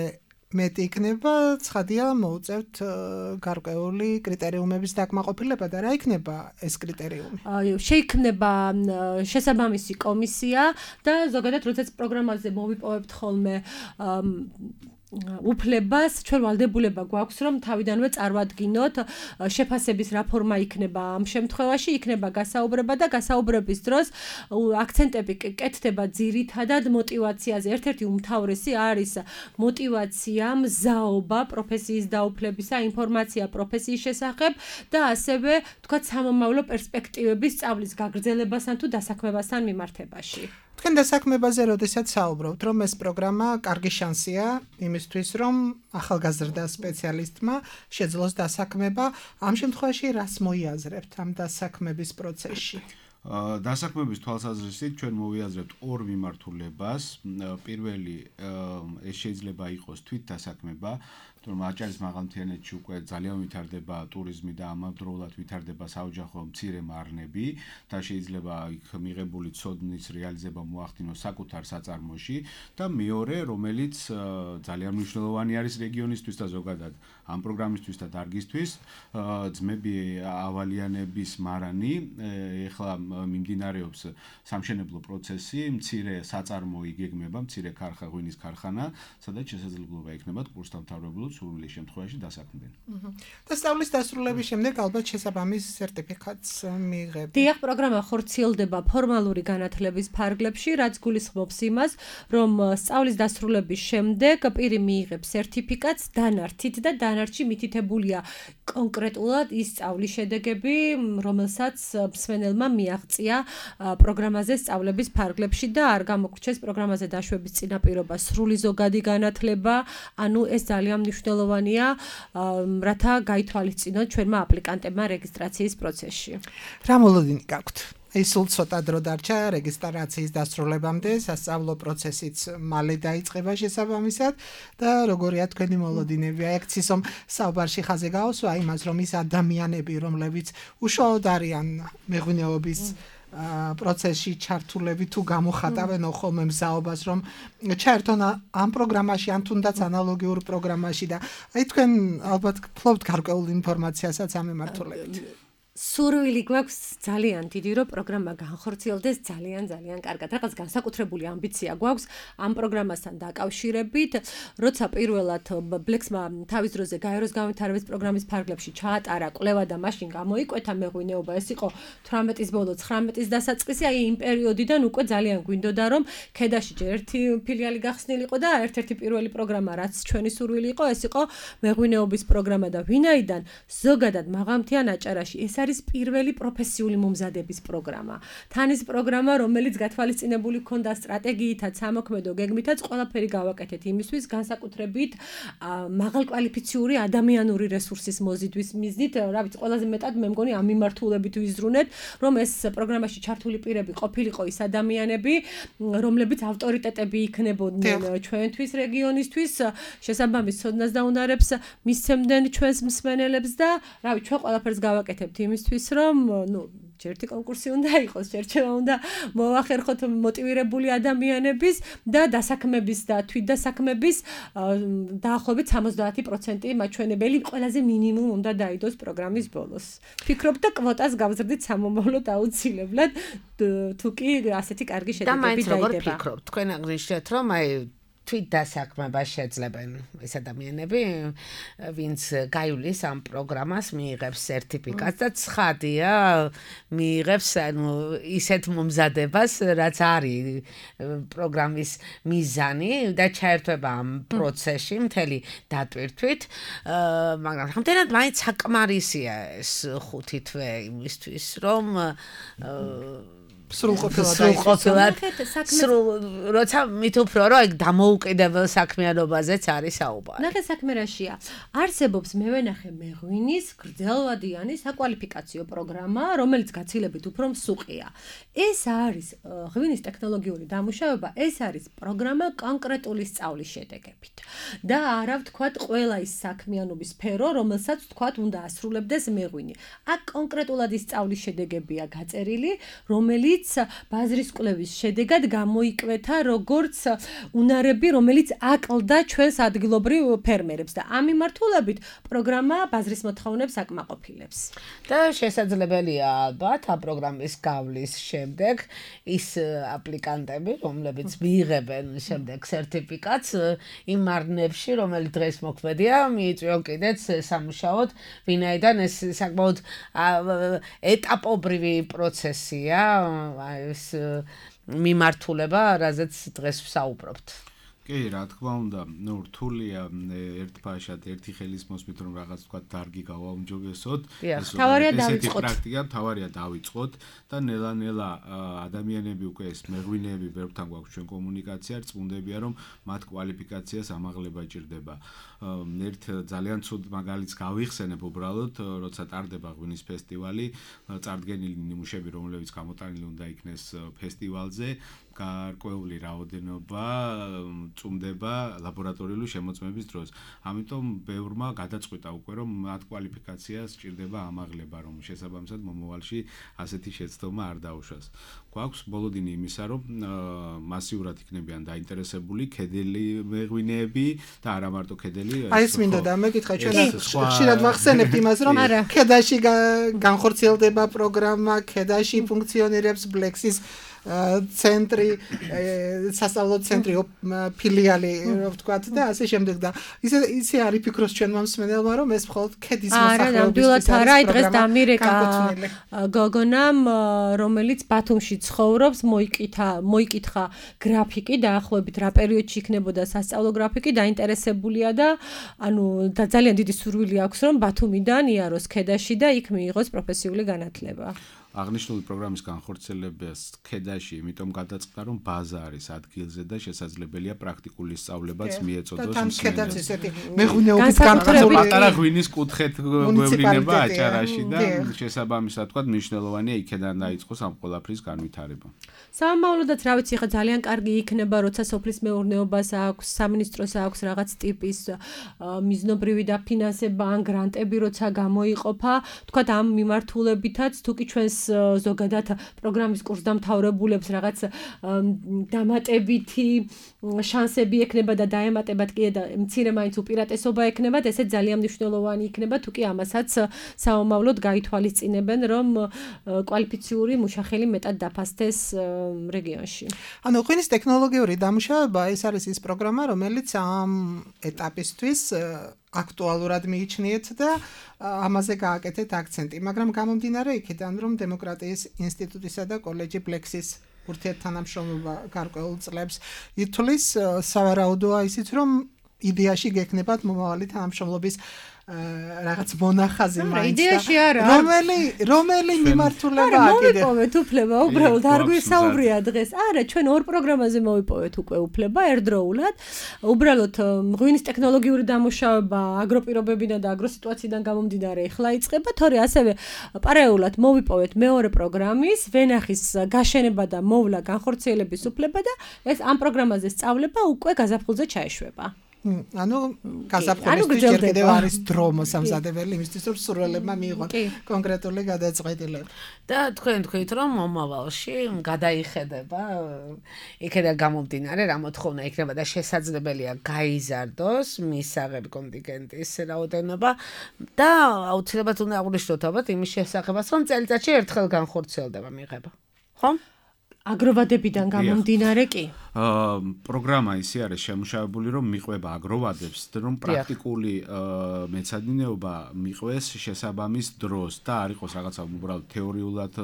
მეტი იქნება, ცხადია მოუწევთ გარკვეული კრიტერიუმების დაკმაყოფილება და რა იქნება ეს კრიტერიუმი? შეიქმნება შესაბამისი კომისია და ზოგადად როდესაც პროგრამაზე მოვიპოვებთ ხოლმე უფლებას, ჩვენ ვალდებულება გვაქვს, რომ თავიდანვე წარმოვადგინოთ შეფასების რა ფორმა იქნება ამ შემთხვევაში, იქნება გასაუბრება და გასაუბრების დროს აქცენტები კეთდება ძირითადად მოტივაციაზე. ერთ-ერთი უმთავრესი არის მოტივაცია, მზაობა პროფესიის დაუფლებისა, ინფორმაცია პროფესიის შესახებ და ასევე თქვათ სამომავლო პერსპექტივების სწავლის გაგრძელებასთან თუ დასაქმებასთან მიმართებაში. თქვენ დასაქმებაზე როდესაც საუბრობთ, რომ ეს პროგრამა კარგი შანსია იმისთვის, რომ ახალგაზრდა სპეციალისტმა შეძლოს დასაქმება, ამ შემთხვევაში რას მოიაზრებთ ამ დასაქმების პროცესში? დასაქმების თვალსაზრისით ჩვენ მოვიაზრებთ ორ მიმართულებას. პირველი ეს შეიძლება იყოს თვით დასაქმება, თუმცა აჭარის მაღალმთიანეთში უკვე ძალიან ვითარდება ტურიზმი და ამავდროულად ვითარდება საოჯახო მცირე მარნები და შეიძლება იქ მიღებული ცოდნის რეალიზება მოახდინოს საკუთარ საწარმოში და მეორე, რომელიც ძალიან მნიშვნელოვანი არის რეგიონისთვის და ზოგადად ამ პროგრამისთვის და დარგისთვის, ძმები ავალიანების მარანი, ეხლა მიმდინარეობს სამშენებლო პროცესი, მცირე საწარმო იგეგმება, მცირე ქარხა, ღვინის ქარხანა, სადაც შესაძლებლობა იქნება კურსდამთავრებულებს სურვილის შემთხვევაში დასაქმდნენ. და სწავლის დასრულების შემდეგ ალბათ შესაბამის სერტიფიკატს მიიღებთ. დიახ, პროგრამა ხორციელდება ფორმალური განათლების ფარგლებში, რაც გულისხმობს იმას, რომ სწავლის დასრულების შემდეგ პირი მიიღებს სერტიფიკატს დანართით და დანართში მითითებულია კონკრეტულად ის სწავლის შედეგები, რომელსაც მსმენელმა მიაღწია პროგრამაზე სწავლების ფარგლებში და არ გამოგრჩეს პროგრამაზე დაშვების წინაპირობა სრული ზოგადი განათლება, ანუ ეს ძალიან მნიშვნელოვანია, რათა გაითვალისწინოთ ჩვენმა აპლიკანტებმა რეგისტრაციის პროცესში. რა მოლოდინი გაქვთ? აი სულ ცოტა დრო დარჩა რეგისტრაციის დასრულებამდე, სასწავლო პროცესიც მალე დაიწყება შესაბამისად და როგორია თქვენი მოლოდინები? აი აქცისომ საუბარში ხაზე გაუსვა იმას, რომ ის ადამიანები, რომლებიც უშუალოდ არიან მეღვინეობის პროცესში ჩართულები თუ გამოხატავენ ხოლმე მზაობას, რომ ჩაერთონ ამ პროგრამაში, ან თუნდაც ანალოგიურ პროგრამაში და აი თქვენ ალბათ ფლობთ გარკვეულ ინფორმაციასაც ამ მიმართულებით. სურვილი გვაქვს ძალიან დიდი, რომ პროგრამა განხორციელდეს ძალიან ძალიან კარგად. რაღაც განსაკუთრებული ამბიცია გვაქვს ამ პროგრამასთან დაკავშირებით. როცა პირველად ბლექსმა თავის დროზე გაეროს განვითარების პროგრამის ფარგლებში ჩაატარა კვლევა და მაშინ გამოიკვეთა მეღვინეობა, ეს იყო თვრამეტის ბოლო ცხრამეტის დასაწყისი, აი იმ პერიოდიდან უკვე ძალიან გვინდოდა, რომ ქედაში ჯერ ერთი ფილიალი გახსნილიყო და ერთ-ერთი პირველი პროგრამა, რაც ჩვენი სურვილი იყო, ეს იყო მეღვინეობის პროგრამა და ვინაიდან ზოგადად მაღალმთიან აჭარაში ეს არის პირველი პროფესიული მომზადების პროგრამა. თან ის პროგრამა, რომელიც გათვალისწინებული ჰქონდა სტრატეგიითაც, სამოქმედო გეგმითაც, ყველაფერი გავაკეთეთ იმისთვის, განსაკუთრებით მაღალკვალიფიციური ადამიანური რესურსის მოზიდვის მიზნით, რა ვიცი, ყველაზე მეტად მე მგონი ამ მიმართულებით ვიზრუნეთ, რომ ეს პროგრამაში ჩართული პირები ყოფილიყო ის ადამიანები, რომლებიც ავტორიტეტები იქნებოდნენ ჩვენთვის რეგიონისთვის, შესაბამის ცოდნას და უნარებს მისცემდნენ ჩვენს მსმენელებს და რა ვიცი, ჩვენ ყველაფერს გავაკეთებთ იმისთვის, რომ ნუ ჯერთი კონკურსი უნდა იყოს, შერჩევა უნდა მოახერხოთ მოტივირებული ადამიანების და დასაქმების და თვითდასაქმების დაახლოებით სამოცდაათი პროცენტი მაჩვენებელი ყველაზე მინიმუმ უნდა დაიდოს პროგრამის ბოლოს. Ფიქრობ და კვოტას გავზრდით სამომავლოდ აუცილებლად, თუ კი ასეთი კარგი შედეგები დაიდება. და მაინც როგორ ფიქრობთ? თქვენ აღნიშნეთ, რომ აი თვით დასაქმებას შეძლებენ ეს ადამიანები, ვინც გაივლის ამ პროგრამას, მიიღებს სერტიფიკატს და ცხადია, მიიღებს ანუ ისეთ მომზადებას, რაც არის პროგრამის მიზანი და ჩაერთვება ამ პროცესში მთელი დატვირთვით, მაგრამ რამდენად მაინც საკმარისია ეს ხუთი თვე იმისთვის, რომ სრულყოფილად სრულ როცა მით უფრო რომ აი დამოუკიდებელ საქმიანობაზეც არის საუბარი. ნახე საქმე რაშია. არსებობს მე ვენახე მეღვინის გრძელვადიანი საკვალიფიკაციო პროგრამა, რომელიც გაცილებით უფრო მსუყია. ეს არის ღვინის ტექნოლოგიური დამუშავება, ეს არის პროგრამა კონკრეტული სწავლის შედეგებით. და არა ვთქვათ ყველა ის საქმიანობის სფერო, რომელსაც ვთქვათ უნდა ასრულებდეს მეღვინი. აქ კონკრეტულად ის სწავლის შედეგებია გაწერილი, რომელიც ბაზრის კვლევის შედეგად გამოიკვეთა როგორც უნარები, რომელიც აკლდა ჩვენს ადგილობრივ ფერმერებს და ამ მიმართულებით პროგრამა ბაზრის მოთხოვნებს აკმაყოფილებს. და შესაძლებელია ალბათ ამ პროგრამის გავლის შემდეგ ის აპლიკანტები, რომლებიც მიიღებენ შემდეგ სერტიფიკატს იმ არნებში, რომელიც დღეს მოქმედია, მიიწვიონ კიდეც სამუშაოდ, ვინაიდან ეს საკმაოდ ეტაპობრივი პროცესია. ეს მიმართულება, რაზეც დღეს ვსაუბრობთ. კი, რა თქმა უნდა, ნუ რთულია ერთფაშად ერთი ხელის მოსმით რომ რაღაც თქვა დარგი გავაუმჯობესოთ. თავარია დავიწყოთ. პრაქტიკა თავარია დავიწყოთ და ნელა-ნელა ადამიანები უკვე ეს მეღვინეები ბევრთან გვაქვს ჩვენ კომუნიკაცია, რწმუნდებია რომ მათ კვალიფიკაციას ამაღლება ჭირდება. ერთ ძალიან ცუდ მაგალითს გავიხსენებ უბრალოდ, როცა ტარდება ღვინის ფესტივალი, წარდგენილი ნიმუშები, რომლებიც გამოტანილი უნდა იქნეს ფესტივალზე, გარკვეული რაოდენობა წუმდება ლაბორატორიული შემოწმების დროს. ამიტომ ბევრმა გადაწყვიტა უკვე რომ მათ კვალიფიკაციას სჭირდება ამაღლება, რომ შესაბამისად მომავალში ასეთი შეცდომა არ დაუშვას. გვაქვს ბოლოდინი იმისა, რომ მასიურად იქნებიან დაინტერესებული ქედელი მეღვინეები და არა მარტო ქედელი. აი ეს მინდა და მეკითხა ჩვენ ხშირად ვახსენებთ იმას, რომ ქედაში განხორციელდება პროგრამა, ქედაში ფუნქციონირებს ბლექსის ცენტრი, სასწავლო ცენტრი, ფილიალი, რო ვთქვათ და ასე შემდეგ და ისე ისე არის ფიქრობს ჩვენმა მსმენელმა, რომ ეს მხოლოდ ქედის მოსახლეობისთვის არის. არა, დღეს დამირეკა გოგონამ, რომელიც ბათუმში ცხოვრობს, მოიკითხა, მოიკითხა გრაფიკი დაახლოებით რა პერიოდში იქნებოდა სასწავლო გრაფიკი, დაინტერესებულია და ანუ და ძალიან დიდი სურვილი აქვს, რომ ბათუმიდან იაროს ქედაში და იქ მიიღოს პროფესიული განათლება. აღნიშნული პროგრამის განხორციელებას ქედაში, იმიტომ გადაწყდა, რომ ბაზა არის ადგილზე და შესაძლებელია პრაქტიკული სწავლებაც მიეწოდოს მსმენელს. მეღვინეობით განხორციელებული პატარა ღვინის კუთხეთ გვევლინება აჭარაში და შესაბამისად თქვა მნიშვნელოვანია იქედან დაიწყოს ამ ყველაფრის განვითარება. სამომავლოდაც რა ვიცი, ხა ძალიან კარგი იქნება, როცა სოფლის მეურნეობას აქვს, სამინისტროს აქვს რაღაც ტიპის მიზნობრივი დაფინანსება ან გრანტები, როცა გამოიყოფა, თქვა ამ მიმართულებითაც თუ კი ჩვენს ზოგადად პროგრამის კურსდამთავრებულებს რაღაც დამატებითი შანსები ექნება და დაემატებათ კი და მცირე მაინც უპირატესობა ექნებათ, ესე ძალიან მნიშვნელოვანი იქნება, თუ კი ამასაც საომავლოდ გაითვალისწინებენ, რომ კვალიფიციური მუშახელი მეტად დაფასდეს რეგიონში. ანუ ღვინის ტექნოლოგიური დამუშავება ეს არის ის პროგრამა, რომელიც ამ ეტაპისთვის აქტუალურად მიიჩნიეთ და ამაზე გააკეთეთ აქცენტი, მაგრამ გამომდინარე იქიდან, რომ დემოკრატიის ინსტიტუტისა და კოლეჯი ბლექსის ურთიერთთანამშრომლობა გარკვეულ წლებს ითვლის, სავარაუდოა ისიც, რომ იდეაში გექნებათ მომავალი თანამშრომლობის რაღაც მონახაზი მაინც და რომელი რომელი მიმართულება აკიდე. არა, მოვიპოვეთ უფლება, უბრალოდ არ გვისაუბრია დღეს. არა, ჩვენ ორ პროგრამაზე მოვიპოვეთ უკვე უფლება ერთდროულად. უბრალოდ ღვინის ტექნოლოგიური დამუშავება აგროპირობებიდან და აგროსიტუაციიდან გამომდინარე ახლა იწყება, თორე ასევე პარალელურად მოვიპოვეთ მეორე პროგრამის ვენახის გაშენება და მოვლა განხორციელების უფლება და ეს ამ პროგრამაზე სწავლება უკვე გაზაფხულზე ჩაეშვება. ანუ გაზაფხულისთვის ჯერ კიდევ არის დრო მოსამზადებელი იმისთვის, რომ სურველებმა მიიღონ კონკრეტული გადაწყვეტილება. და თქვენ თქვით, რომ მომავალში გადაიხედება, იქიდან გამომდინარე, რა მოთხოვნა იქნება და შესაძლებელია გაიზარდოს მისაღები კონტინგენტის რაოდენობა და აუცილებლად უნდა აღვნიშნოთ ალბათ იმის შესახებაც, რომ წელიწადში ერთხელ განხორციელდება მიღება. ხო? აგროვადებიდან გამომდინარე კი. პროგრამა ისე არის შემუშავებული, რომ მიყვება აგროვადებს, რომ პრაქტიკული მეცადინეობა მიყვეს შესაბამის დროს და არ იყოს რაღაცა უბრალოდ თეორიულად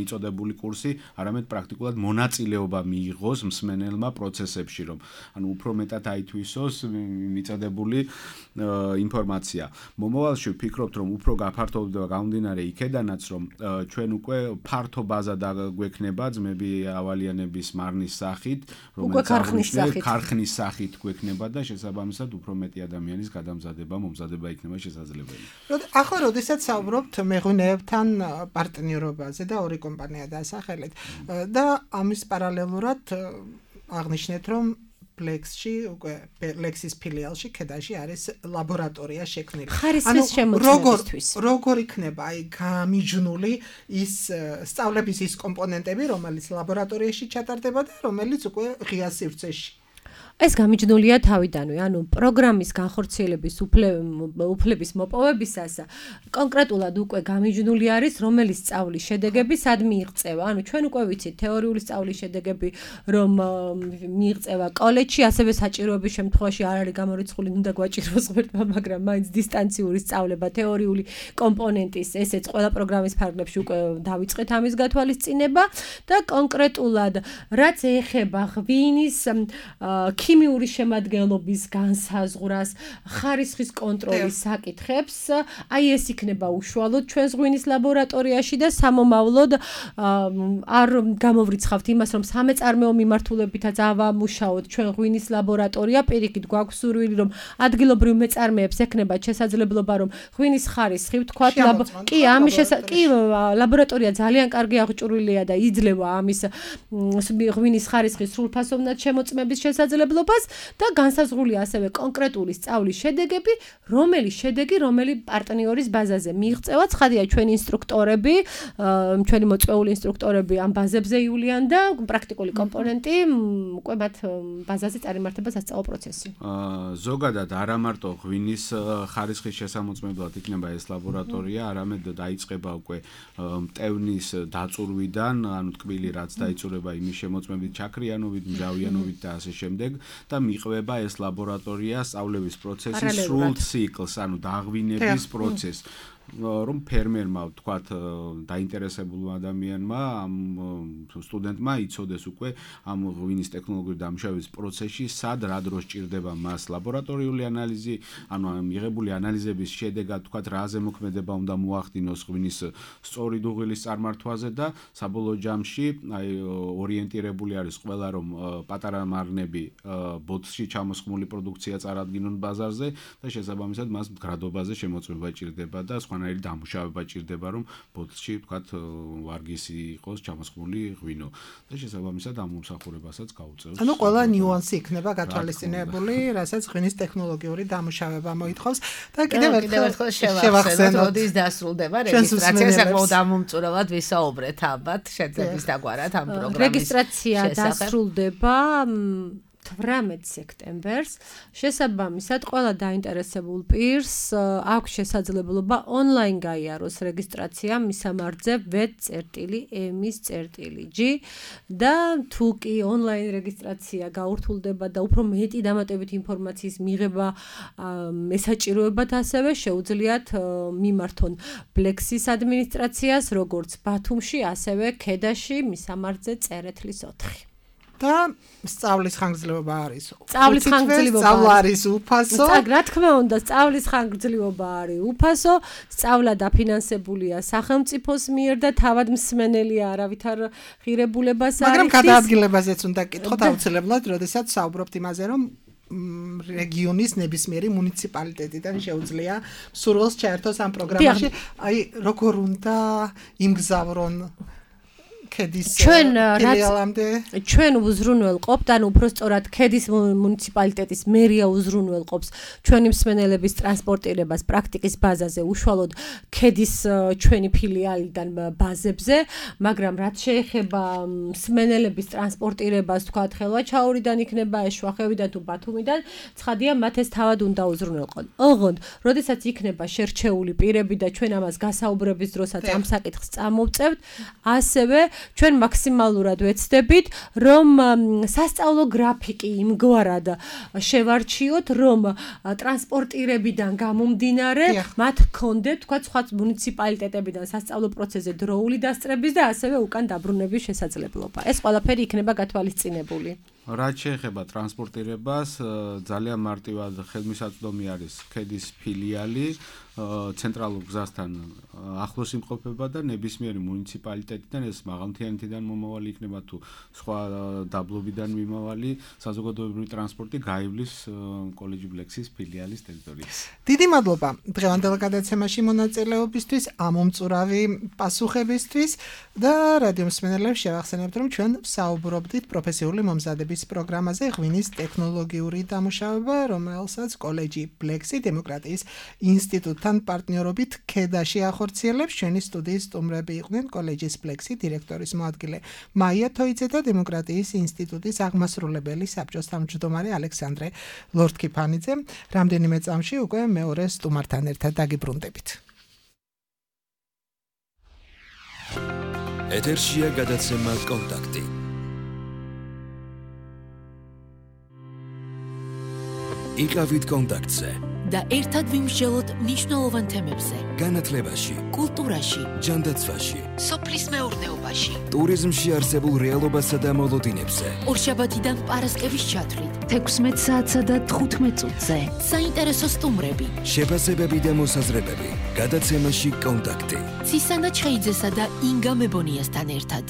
მიწოდებული კურსი, არამედ პრაქტიკულად მონაწილეობა მიიღოს მსმენელმა პროცესებში, რომ ანუ უფრო მეტად აითვისოს მიწოდებული ინფორმაცია. მომავალში ვფიქრობთ, რომ უფრო გაფართოვდება გამომდინარე იქედანაც, რომ ჩვენ უკვე ფართო ბაზა დაგვექნება ძმები ავალიანების მარნის სახით, რომელიც ქარხნის სახით გვექნება და შესაბამისად უფრო მეტი ადამიანის გადამზადება, მომზადება იქნება შესაძლებელი. ახლა როდესაც საუბრობთ მეღვინეებთან პარტნიორობაზე და ორი კომპანია დაასახელეთ და ამის პარალელურად აღნიშნეთ, რომ Lexში უკვე Lexis ფილიალში ქედაში არის ლაბორატორია შექმნილი. ხარისხის შემოწმებისთვის. როგორ იქნება აი გამიჯნული ის სწავლების ის კომპონენტები, რომელიც ლაბორატორიაში ჩატარდება და რომელიც უკვე ღია სივრცეში. ეს გამიჯნულია თავიდანვე, ანუ პროგრამის განხორციელების უფლების მოპოვებისას კონკრეტულად უკვე გამიჯნული არის, რომელი სწავლის შედეგები სად მიიღწევა. ანუ ჩვენ უკვე ვიცით თეორიული სწავლის შედეგები, რომ მიიღწევა კოლეჯში, ასევე საჭიროების შემთხვევაში არ არის გამორიცხული, უნდა გვაჭიროს ღმერთმა, მაგრამ მაინც დისტანციური სწავლება, თეორიული კომპონენტის, ესეც ყველა პროგრამის ფარგლებში უკვე დავიწყეთ ამის გათვალისწინება და კონკრეტულად რაც ეხება ღვინის ქიმიური შემადგენლობის განსაზღვრას, ხარისხის კონტროლის საკითხებს, აი ეს იქნება უშუალოდ ჩვენს ღვინის ლაბორატორიაში და სამომავლოდ არ გამოვრიცხავთ იმას, რომ სამეწარმეო მიმართულებითაც ავამუშაოთ ჩვენ ღვინის ლაბორატორია, პირიქით გვაქვს სურვილი, რომ ადგილობრივ მეწარმეებს ექნებათ შესაძლებლობა, რომ ღვინის ხარისხი ვთქვათ, კი, ამის კი ლაბორატორია ძალიან კარგი აღჭურვილია და იძლევა ამის ღვინის ხარისხის სრულფასოვნად შემოწმების შესაძლებლობას და განსაზღვრულია ასევე კონკრეტული სწავლის შედეგები, რომელი შედეგი, რომელი პარტნიორის ბაზაზე მიიღწევა. ცხადია, ჩვენი ინსტრუქტორები, ჩვენი მოწვეული ინსტრუქტორები ამ ბაზებზე ივლიან და პრაქტიკული კომპონენტი უკვე მათ ბაზაზე წარიმართება სასწავლო პროცესი. ზოგადად არა მარტო ღვინის ხარისხის შესამოწმებლად იქნება ეს ლაბორატორია, არამედ დაიწყება უკვე მტევნის დაწურვიდან, ანუ ტკბილი რაც დაიწურება იმის შემოწმებით, ჩაქრიანობით, მჟავიანობით და ასე შემდეგ. და მიყვება ეს ლაბორატორია სწავლების პროცესის სრულ ციკლს, ანუ დაღვინების პროცესს. რომ ფერმერმა ვთქვათ დაინტერესებულმა ადამიანმა ამ სტუდენტმა იცოდეს უკვე ამ ღვინის ტექნოლოგიური დამუშავების პროცესში სად რა დროს ჭირდება მას ლაბორატორიული ანალიზი, ანუ მიღებული ანალიზების შედეგად ვთქვათ რაზე მოქმედება უნდა მოახდინოს ღვინის სწორი დუღილის წარმართვაზე და საბოლოო ჯამში აი ორიენტირებული არის ყველა რომ პატარა მარნები ბოთში ჩამოსხმული პროდუქცია წარადგინონ ბაზარზე და შესაბამისად მას მდგრადობაზე შემოწმება ჭირდება და სხვანაირი დამუშავება ჭირდება, რომ ბოთლში თქვათ ვარგისი იყოს ჩამოსხმული ღვინო და შესაბამისად ამ მომსახურებასაც გაუწევს. ანუ ყველა ნიუანსი იქნება გათვალისწინებული, რასაც ღვინის ტექნოლოგიური დამუშავება მოითხოვს და კიდევ ერთხელ შევახსენოთ, როდის დასრულდება რეგისტრაცია, საკმაოდ ამომწურავად ვისაუბრეთ ალბათ შეძების დაგვარად ამ პროგრამის. რეგისტრაცია დასრულდება თვრამეტ სექტემბერს. შესაბამისად, ყველა დაინტერესებულ პირს აქვს შესაძლებლობა ონლაინ გაიაროს რეგისტრაცია მისამართზე ვეტ.ემის.g და თუ კი ონლაინ რეგისტრაცია გაურთულდება და უფრო მეტი დამატებითი ინფორმაციის მიღება ესაჭიროებათ, ასევე შეუძლიათ მიმართონ ბლექსის ადმინისტრაციას, როგორც ბათუმში, ასევე ქედაში მისამართზე წერეთლის ოთხი. და სწავლის ხანგრძლივობა არის. სწავლის ხანგრძლივობა სწავლა არის უფასო. რა თქმა უნდა, სწავლის ხანგრძლივობა არის უფასო, სწავლა დაფინანსებულია სახელმწიფოს მიერ და თავად მსმენელია არავითარ ღირებულებას არ მაგრამ გადაადგილებაზეც უნდა კითხოთ აუცილებლად, როდესაც საუბრობთ იმაზე, რომ რეგიონის ნებისმიერი მუნიციპალიტეტიდან შეუძლია სურვილს ჩაერთოს ამ პროგრამაში. აი, როგორ უნდა იმგზავრონ ქედის ფილიალამდე ჩვენ უზრუნველყოფთ, ანუ უბრალოდ ქედის მუნიციპალიტეტის მერია უზრუნველყოფს ჩვენი მსმენელების ტრანსპორტირებას პრაქტიკის ბაზაზე, უშუალოდ ქედის ჩვენი ფილიალიდან ბაზებზე, მაგრამ რაც შეეხება მსმენელების ტრანსპორტირებას, თქვათ, ხელვაჩაურიდან იქნება, ეშვახევიდან თუ ბათუმიდან, ცხადია, მათ ეს თავად უნდა უზრუნველყონ. ოღონდ, როდესაც იქნება შერჩეული პირები და ჩვენ ამას გასაუბრების დროსაც ამ საკითხს წამოვწევთ, ასევე ჩვენ მაქსიმალურად ვეცდებით, რომ სასწავლო გრაფიკი იმგვარად შევარჩიოთ, რომ ტრანსპორტირებიდან გამომდინარე, მათ ჰქონდეთ, თქვა, სხვა მუნიციპალიტეტებიდან სასწავლო პროცესზე დროული დასწრების და ასევე უკან დაბრუნების შესაძლებლობა. ეს ყველაფერი იქნება გათვალისწინებული. რაც შეეხება ტრანსპორტირებას, ძალიან მარტივად ხელმისაწვდომი არის ქედის ფილიალი, ცენტრალურ გზასთან ახლოს იმყოფება და ნებისმიერი მუნიციპალიტეტიდან, ეს მაღალმთიანეთიდან მომავალი იქნება თუ სხვა დაბლობიდან მიმავალი საზოგადოებრივი ტრანსპორტი გაივლის კოლეჯი ბლექსის ფილიალის ტერიტორიაზე. დიდი მადლობა დღევანდელ გადაცემაში მონაწილეობისთვის, ამომწურავი პასუხებისთვის და რადიო მსმენელებს შევახსენებთ, რომ ჩვენ ვსაუბრობდით პროფესიული მომზადების პროგრამაზე ღვინის ტექნოლოგიური დამუშავება, რომელსაც კოლეჯი ბლექსი დემოკრატიის ინსტიტუტთან პარტნიორობით ქედაში ახორციელებს. ჩვენი სტუდიის სტუმრები იყვნენ კოლეჯის ბლექსი დირექტორის მოადგილე მაია თოიძე და დემოკრატიის ინსტიტუტის აღმასრულებელი საბჭოს თავმჯდომარე ალექსანდრე ლორთქიფანიძე. რამდენიმე წამში უკვე მეორე სტუმართან ერთად დაგიბრუნდებით. ეთერშია გადაცემა კონტაქტი. იყავით კონტაქტზე და ერთად ვიმსჯელოთ მნიშვნელოვან თემებზე. განათლებაში, კულტურაში, ჯანდაცვაში, სოფლის მეურნეობაში, ტურიზმში არსებულ რეალობასა და მოლოდინებზე. ორშაბათიდან პარასკევის ჩათვლით, თექვსმეტ საათსა და თხუთმეტ წუთზე. საინტერესო სტუმრები, შეფასებები და მოსაზრებები. გადაცემაში კონტაქტი. ცისანა ჩხეიძესა და ინგა მებონიასთან ერთად.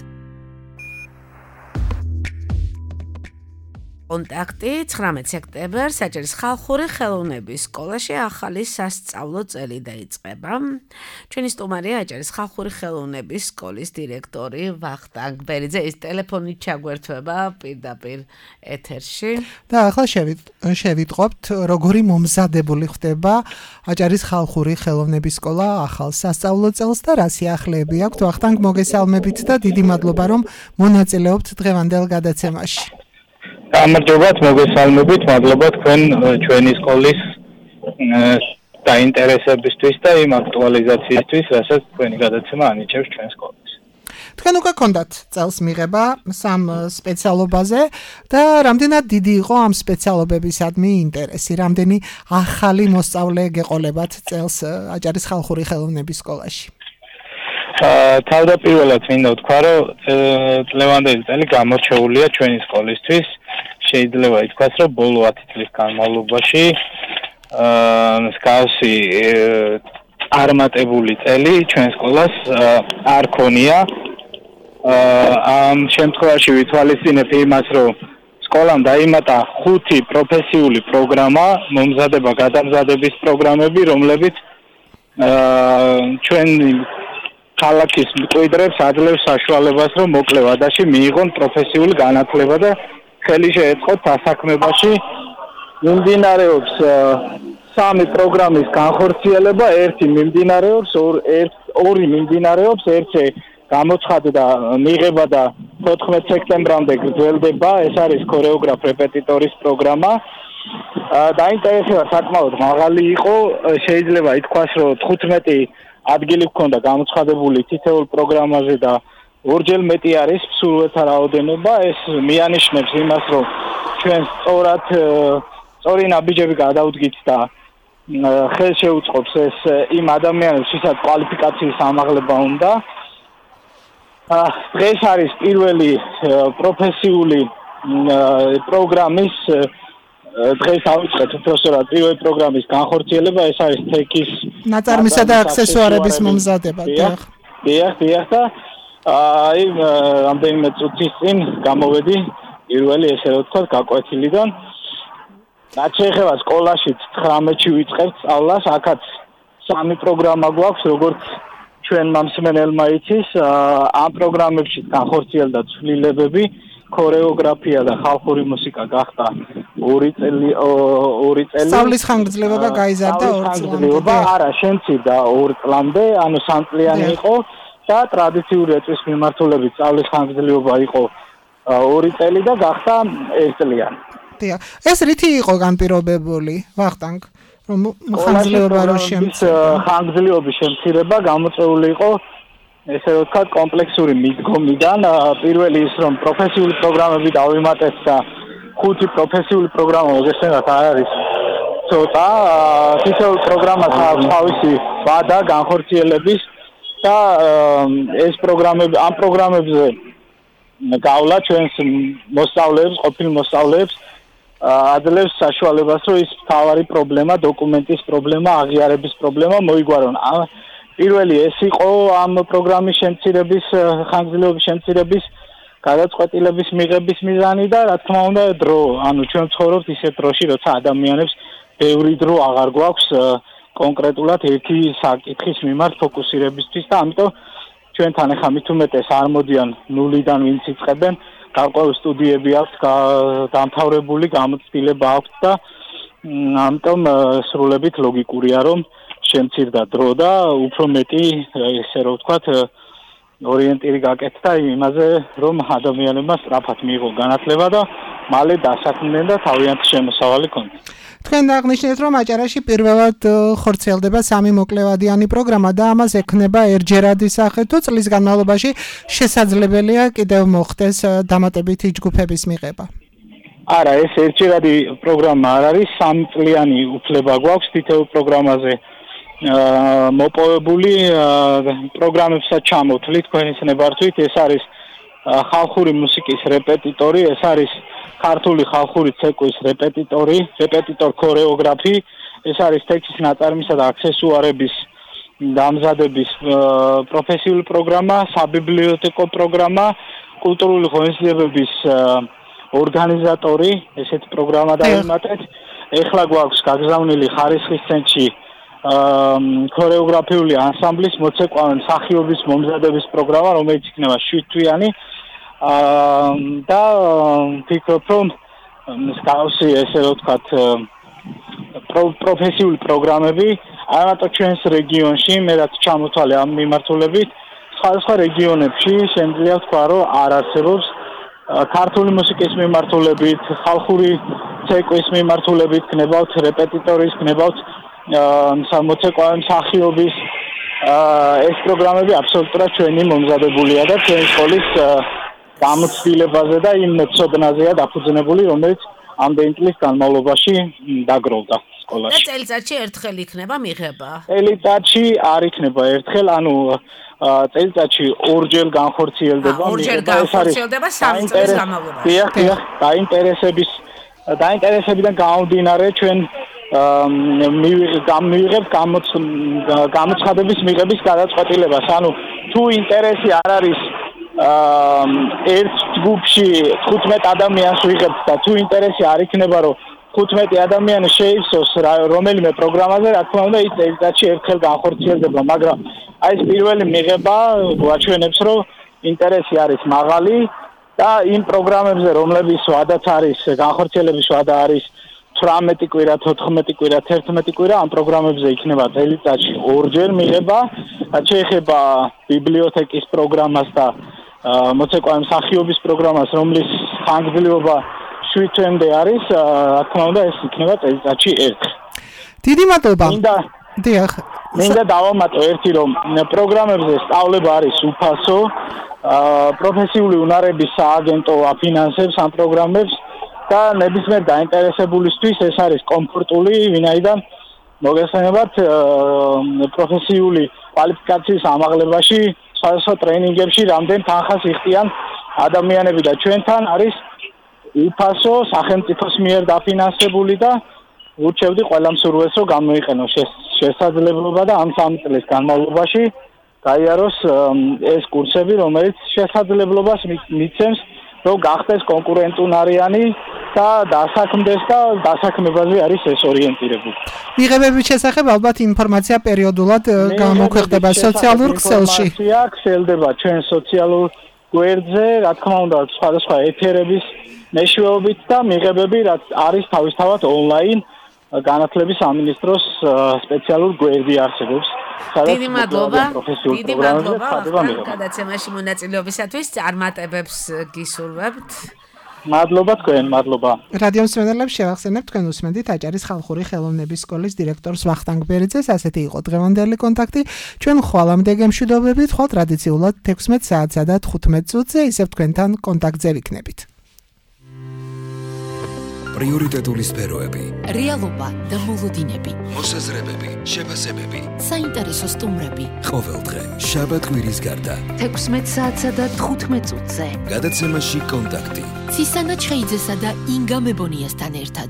კონტაქტი ცხრამეტ სექტემბერს საჯარის ხალხური ხელოვნების სკოლაში ახალი სასწავლო წელი დაიწყება. ჩვენი სტუმარია აჭარის ხალხური ხელოვნების სკოლის დირექტორი ვახტანგ ბერიძე. ის ტელეფონით ჩაგვერთვება პირდაპირ ეთერში. და ახლა შევიტყობთ, როგორი მომზადებული ხდება აჭარის ხალხური ხელოვნების სკოლა ახალ სასწავლო წელს და რა სიახლეები აქვთ. ვახტანგ, მოგესალმებით და დიდი მადლობა, რომ მონაწილეობთ დღევანდელ გადაცემაში. გამარჯობათ, მოგესალმებით, მადლობა თქვენ ჩვენი სკოლის დაინტერესებისთვის და იმ აქტუალიზაციისთვის, რასაც თქვენი გადაცემა ანიჭებს ჩვენ სკოლას. თქვენ უკვე გქონდათ წელს მიღება სამ სპეციალობაზე და რამდენად დიდი იყო ამ სპეციალობებისადმი ინტერესი, რამდენი ახალი მოსწავლე გეყოლებათ წელს აჭარის ხალხური ხელოვნების სკოლაში? თავდაპირველად მინდა ვთქვა, რომ წლევანდელი წელი გამორჩეულია ჩვენი სკოლისთვის. შეიძლება ითქვას, რომ ბოლო ათი წლის განმავლობაში მსგავსი წარმატებული წელი ჩვენ სკოლას არ ქონია. ამ შემთხვევაში ვითვალისწინებ იმას, რომ სკოლამ დაიმატა ხუთი პროფესიული პროგრამა, მომზადება გადამზადების პროგრამები, რომლებიც ჩვენ ქალაქის მკვიდრებს აძლევს საშუალებას, რომ მოკლე ვადაში მიიღონ პროფესიული განათლება და ხელი შეეწყოთ დასაქმებაში. მიმდინარეობს სამი პროგრამის განხორციელება, ერთი მიმდინარეობს, ორი მიმდინარეობს, ერთი გამოცხადდა მიღება და თოთხმეტ სექტემბრამდე გრძელდება. ეს არის ქორეოგრაფ რეპეტიტორის პროგრამა. დაინტერესება საკმაოდ მაღალი იყო, შეიძლება ითქვას, რომ თხუთმეტი ადგილი ჰქონდა გამოცხადებული თითოეულ პროგრამაზე და ორჯერ მეტი არის მსურველთა რაოდენობა. ეს მიანიშნებს იმას, რომ ჩვენ სწორად სწორი ნაბიჯები გადავდგით და ხელს შეუწყობს ეს იმ ადამიანებს, ვისაც კვალიფიკაციის ამაღლება უნდა. დღეს არის პირველი პროფესიული პროგრამის დღეს ავიწყეთ უბრალოდ პირველი პროგრამის განხორციელება, ეს არის თექის ნაწარმისა და აქსესუარების მომზადება. დიახ, დიახ, დიახ და აი რამდენიმე წუთის წინ გამოვედი პირველი ესე რომ ვთქვათ გაკვეთილიდან. რაც შეეხება სკოლაში ცხრამეტში ვიწყებთ სწავლას, აქაც სამი პროგრამა გვაქვს, როგორც ჩვენ მომსმენელმა იცის, ამ პროგრამებში განხორციელდა ცვლილებები, ქორეოგრაფია და ხალხური მუსიკა გახდა ორი წელი ორი წელი. სწავლის ხანგრძლივობა გაიზარდა ორ წლამდე. არა, შემცირდა ორ წლამდე, ანუ სამწლიანი იყო და ტრადიციული ეწვის მიმართულებით სწავლის ხანგრძლივობა იყო ორი წელი და გახდა ერთწლიანი. დიახ. ეს რითი იყო განპირობებული, ვახტანგ? რომ ხანგრძლივობა რო შემცირდა. ხანგრძლივობის შემცირება გამოწვეული იყო ესე რომ ვთქვათ კომპლექსური მიდგომიდან. პირველი ის რომ პროფესიული პროგრამები დავიმატეთ და ხუთი პროფესიული პროგრამა მოგესწრებათ არ არის ცოტა. თითოეულ პროგრამას აქვს თავისი ვადა განხორციელების და ეს პროგრამები ამ პროგრამებზე გავლა ჩვენს მოსწავლეებს, ყოფილ მოსწავლეებს აძლევს საშუალებას, რომ ის თავარი პრობლემა, დოკუმენტის პრობლემა, აღიარების პრობლემა მოიგვარონ. პირველი ეს იყო ამ პროგრამის შემცირების, ხანგრძლივობის შემცირების გადაწყვეტილების მიღების მიზანი და რა თქმა უნდა დრო. ანუ ჩვენ ვცხოვრობთ ისეთ დროში, როცა ადამიანებს ბევრი დრო აღარ გვაქვს კონკრეტულად ერთი საკითხის მიმართ ფოკუსირებისთვის და ამიტომ ჩვენთან ახლა მით უმეტეს არ მოდიან ნულიდან ვინც იწყებენ, გარკვეული სტუდიები აქვს დამთავრებული, გამოცდილება აქვს და ამიტომ სრულებით ლოგიკურია რომ შემცირდა დრო და უფრო მეტი ესე რომ ვთქვათ ორიენტირი გაკეთდა იმაზე რომ ადამიანებმა სწრაფად მიიღონ განათლება და მალე დასაქმდნენ და თავიანთი შემოსავალი ქონდეთ. თქვენ აღნიშნეთ რომ აჭარაში პირველად ხორციელდება სამი მოკლევადიანი პროგრამა და ამას ექნება ერთჯერადი სახე თუ წლის განმავლობაში შესაძლებელია კიდევ მოხდეს დამატებითი ჯგუფების მიღება. არა, ეს ერთჯერადი პროგრამა არ არის, სამწლიანი უფლება გვაქვს თითოეულ პროგრამაზე მოპოვებული პროგრამებსაც ჩამოთვლით თქვენის ნებართვით. ეს არის ხალხური მუსიკის რეპეტიტორი, ეს არის ქართული ხალხური ცეკვის რეპეტიტორი, რეპეტიტორ ქორეოგრაფი, ეს არის ტექსტის ნაწარმისა და აქსესუარების დამზადების პროფესიული პროგრამა, საბიბლიოთეკო პროგრამა, კულტურული ღონისძიებების ორგანიზატორი, ესეთი პროგრამა დავიმატეთ. ეხლა გვაქვს გაგზავნილი ხარისხის ცენტრში ქორეოგრაფიული ანსამბლის მოცეკვავენ მსახიობის მომზადების პროგრამა, რომელიც იქნება შვიდთვიანი და ვფიქრობ, რომ მსგავსი ესე რომ ვთქვათ პროფესიული პროგრამები არა მარტო ჩვენს რეგიონში, მე რაც ჩამოთვალე ამ მიმართულებით, სხვადასხვა რეგიონებში შემიძლია ვთქვა, რომ არ არსებობს ქართული მუსიკის მიმართულებით, ხალხური ცეკვის მიმართულებით, გნებავთ რეპეტიტორის, გნებავთ მოცეკვავენ მსახიობის ეს პროგრამები აბსოლუტურად ჩვენი მომზადებულია და ჩვენი სკოლის გამოცდილებაზე და იმ ცოდნაზეა დაფუძნებული, რომელიც ამდენი წლის განმავლობაში დაგროვდა სკოლაში. და წელიწადში ერთხელ იქნება მიღება? წელიწადში არ იქნება ერთხელ, ანუ წელიწადში ორჯერ განხორციელდება. ორჯერ განხორციელდება სამი წლის განმავლობაში. დიახ, დიახ, დაინტერესების დაინტერესებიდან გამომდინარე ჩვენ მივიღებთ გამოცხადების მიღების გადაწყვეტილებას. ანუ თუ ინტერესი არ არის ერთ ჯგუფში თხუთმეტ ადამიანს ვიღებთ და თუ ინტერესი არ იქნება რომ ხუთმეტი ადამიანი შეივსოს რომელიმე პროგრამაზე, რა თქმა უნდა, ის წელიწადში ერთხელ განხორციელდება, მაგრამ აი ეს პირველი მიღება გვაჩვენებს, რომ ინტერესი არის მაღალი და იმ პროგრამებზე, რომლებიც ვადაც არის, განხორციელების ვადა არის თვრამეტი კვირა, თოთხმეტი კვირა, თერთმეტი კვირა, ამ პროგრამებზე იქნება წელიწადში ორჯერ მიღება, რაც შეეხება ბიბლიოთეკის პროგრამას და მოცეკვავე მსახიობის პროგრამას, რომლის ხანგრძლივობა შვიდ თვემდე არის, რა თქმა უნდა, ეს იქნება წელიწადში ერთხელ. დიდი მადლობა. მინდა დიახ. მინდა დავამატო ერთი, რომ პროგრამებზე სწავლება არის უფასო, პროფესიული უნარების სააგენტო აფინანსებს ამ პროგრამებს და ნებისმიერ დაინტერესებულისთვის ეს არის კომფორტული, ვინაიდან მოგესალმებათ პროფესიული კვალიფიკაციის ამაღლებაში, სხვადასხვა ტრენინგებში რამდენ თანხას იხდიან ადამიანები და ჩვენთან არის უფასო, სახელმწიფოს მიერ დაფინანსებული და ვურჩევდი ყველა მსურველს, რომ გამოიყენოს შესაძლებლობა და ამ სამი წლის განმავლობაში გაიაროს ეს კურსები, რომელიც შესაძლებლობას მიცემს, რომ გახდეს კონკურენტუნარიანი და დასაქმდეს და დასაქმებაზე არის ეს ორიენტირებული. მიღებების შესახებ ალბათ ინფორმაცია პერიოდულად გამოქვეყნდება სოციალურ ქსელში. ინფორმაცია ქსელდება ჩვენ სოციალურ გვერდზე, რა თქმა უნდა, სხვადასხვა ეთერების მეშვეობით და მიღებები რაც არის თავისთავად ონლაინ განათლების სამინისტროს სპეციალურ გვერდი არსებობს. დიდი მადლობა. დიდი მადლობა გადაცემაში მონაწილეობისათვის. წარმატებებს გისურვებთ. მადლობა თქვენ, მადლობა. რადიო მსმენელებს შევახსენებთ, თქვენ უსმენთ აჭარის ხალხური ხელოვნების სკოლის დირექტორს ვახტანგ ბერიძეს. ასეთი იყო დღევანდელი კონტაქტი. ჩვენ ხვალამდე გემშვიდობებით, ხვალ ტრადიციულად თექვსმეტ საათსა და თხუთმეტ წუთზე ისევ თქვენთან კონტაქტზე ვიქნებით. პრიორიტეტული სფეროები, რეალობა და მოლოდინები, მოსაზრებები, შეფასებები, საინტერესო სტუმრები. ყოველდღე, შაბათ-კვირის გარდა, თექვსმეტ საათსა და თხუთმეტ წუთზე. გადაცემაში კონტაქტი. ცისანა ჩხეიძესა და ინგა მებონიასთან ერთად.